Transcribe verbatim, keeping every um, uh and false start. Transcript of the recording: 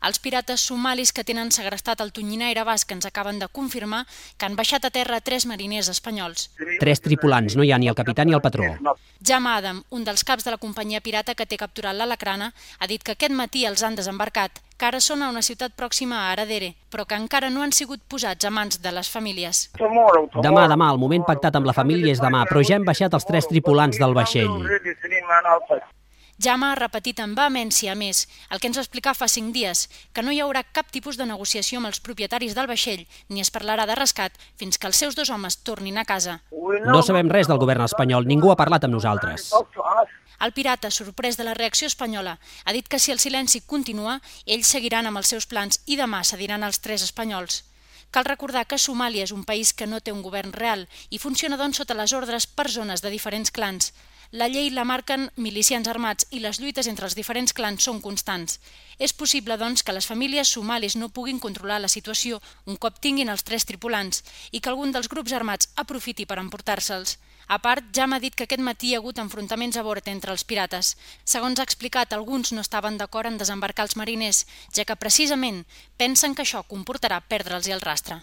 Els pirates somalis que tenen segrestat el tonyinaire basc ens acaben de confirmar que han baixat a terra tres mariners espanyols. Tres tripulants, no hi ha ni el capità ni el patró. Jaume Adam, un dels caps de la companyia pirata que té capturat l'Alacrana, ha dit que aquest matí els han desembarcat, que ara són a una ciutat pròxima a Aradere, però que encara no han sigut posats a mans de les famílies. Demà, demà, el moment pactat amb la família és demà, però ja hem baixat els tres tripulants del vaixell. Jaume ha repetit amb vehemència, a més, el que ens va explicar fa cinc dies, que no hi haurà cap tipus de negociació amb els propietaris del vaixell, ni es parlarà de rescat fins que els seus dos homes tornin a casa. No sabem res del govern espanyol, ningú ha parlat amb nosaltres. El pirata, sorprès de la reacció espanyola, ha dit que si el silenci continua, ells seguiran amb els seus plans i demà cediran els tres espanyols. Cal recordar que Somàlia és un país que no té un govern real i funciona doncs sota les ordres per zones de diferents clans. La llei la marquen milicians armats i les lluites entre els diferents clans són constants. És possible, doncs, que les famílies somalis no puguin controlar la situació un cop tinguin els tres tripulants i que algun dels grups armats aprofiti per emportar-se'ls. A part, Jaume ha dit que aquest matí hi ha hagut enfrontaments a bord entre els pirates. Segons ha explicat, alguns no estaven d'acord en desembarcar els mariners, ja que precisament pensen que això comportarà perdre'ls el rastre.